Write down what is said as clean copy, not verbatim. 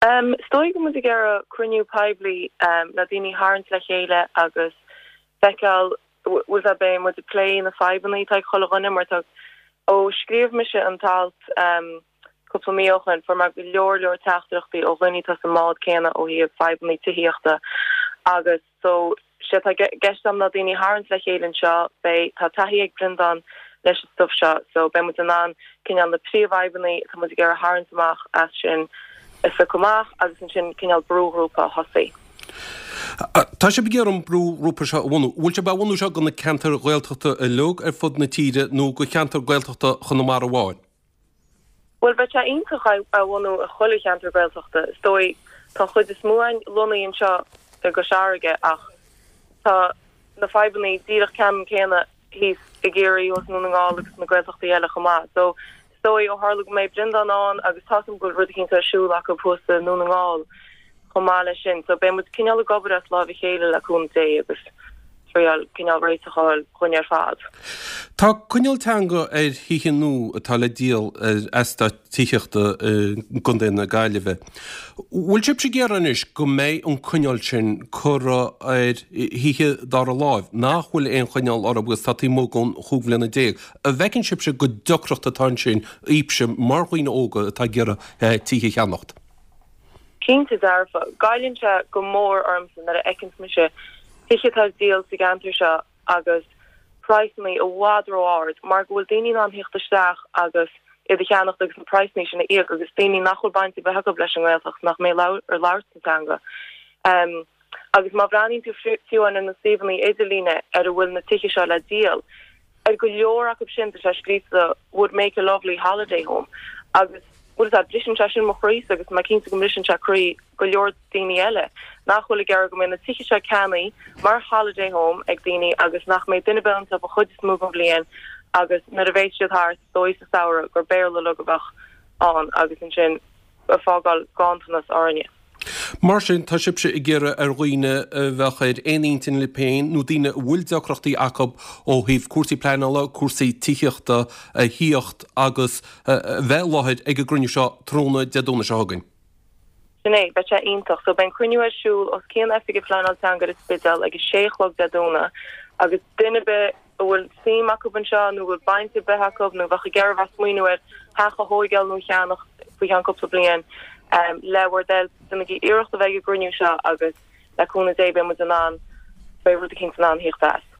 Is dóigh go bhfuil muid ag iarraidh cruinniú poiblí le daoine a tharraingt le chéile agus feiceáil bhfuil a fhios agat beidh muid ag plé na fadhbanna atá ag chuile dhuine mar tá ó scríobh mise an t-alt cúpla mí ó shoin fuair mé go leor leor teachtaireachtaí ó dhaoine atá sa mbád céanna ó thaobh fadhbanna tithíochta agus So, sé atá i gceist agam ná daoine a tharraingt le chéile anseo, beidh, tá taithí ag Breandán leis an stuif seo, so beidh muid in ann cineál na príomhfhadhbanna atá muid ag iarraidh a tharraingt amach as sin a phiocadh amach agus ansin cineál brúghrúpa a thosaí. Tá sibh ag iarraidh an brúghrúpa seo a bhunú. Bhfuil sibh á bhunú seo do na ceantair Ghaeltachta uilig ar fud na tíre nó do cheantar Gaeltachta Chonamara amháin? Bhuel, bheadh sé iontach é a bhunú i chuile cheantar Gaeltachta. Is dóigh, tá an chuid is mó againn lonnaithe anseo i gCois Fharraige ach tá na fadhbanna díreach ceannann céanna thíos i gCiarraí, thuas i nDún na nGall agus na Gaeltachtaí eile chomh maith. So, is dóigh, ó tharla go mbeidh Breandán ann agus tá's agam go bhfuil rud eicínt ar siúl acu thuas i nDún na nGall chomh maith leis sin. So, beidh muid cineál ag obair as láimh a chéile le cúnamh Dé agus. triail cineál réiteach a fháil dhúinn ar fad. Tá coinníoll teanga ar thithe nua atá le díol ar eastát tithíochta i gContae na Gaillimhe. Bhfuil sibhse ag iarraidh anois go mbeidh an coinníoll sin curtha ar thithe dara láimh nach bhfuil aon choinníoll orthu agus atá taobh amuigh den chúig bhliana déag? An bhfeiceann sibhse gur deacracht atá ansin daoibhse mar dhaoine óga atá ag iarraidh tithe a cheannacht? Cinnte dearfa. Goilleann sé go mór ormsa nuair a fheiceanns mise tithe atá ar díol sa gceantar seo agus praghsanna i bhfad ró-ard mar go bhfuil daoine in ann theacht isteach agus iad a cheannacht agus na praghsanna sin a íoc agus daoine nach bhfuil baint ar bith acu leis an nGaeltacht, nach mbeidh ag labhairt na teanga. Agus má bhreathnaíonn tú fiú ar na suíomhanna idirlíne ar a bhfuil na tithe seo le díol, Ar go leor acu sin tá sé scríofa would make a lovely holiday home agus bhfuil a fhios agat, briseann sé sin mo chroísa agus tá mé cinnte go mbriseann sé croí go leor daoine eile nach bhfuil ag iarraidh go mbeidh na tithe seo ceannaithe mar holiday home ag daoine agus nach mbeidh duine ar bith iontu an chuid is mó den bhliain agus nuair a bheas siad thart is dóigh sa samhradh gur Béarla uilig a bheadh ann agus ansin ag fágáil ganntanas orainne. Mar sin, tá sibhse ag iarraidh ar dhaoine a bheadh ar aon intinn libh féin nó daoine a bhfuil deacrachtaí acu ó thaobh cúrsaí pleanála, cúrsaí tithíochta a thíocht agus a bheith i láthair ag an gcruinniú seo tráthnóna Dé Domhnaigh seo chugainn. Sin é, beidh sé iontach. So beidh an cruinniú ar siúl os cionn Oifig Phleanáil Teanga ar an Spidéal ag a sé a chlog Dé Domhnaigh agus duine ar bith a bhfuil suim acu anseo nó a bhfuil baint ar bith acu nó a bheadh ag iarraidh bheith ag smaoineamh ar theach a thóigeáil nó a cheannach faoi cheann cúpla bliain, le bhur dtoil, déanaigí iarracht a bheith ag an gcruinniú seo agus le cúnamh Dé beidh muid in ann, beidh rud eicínt in ann theacht as.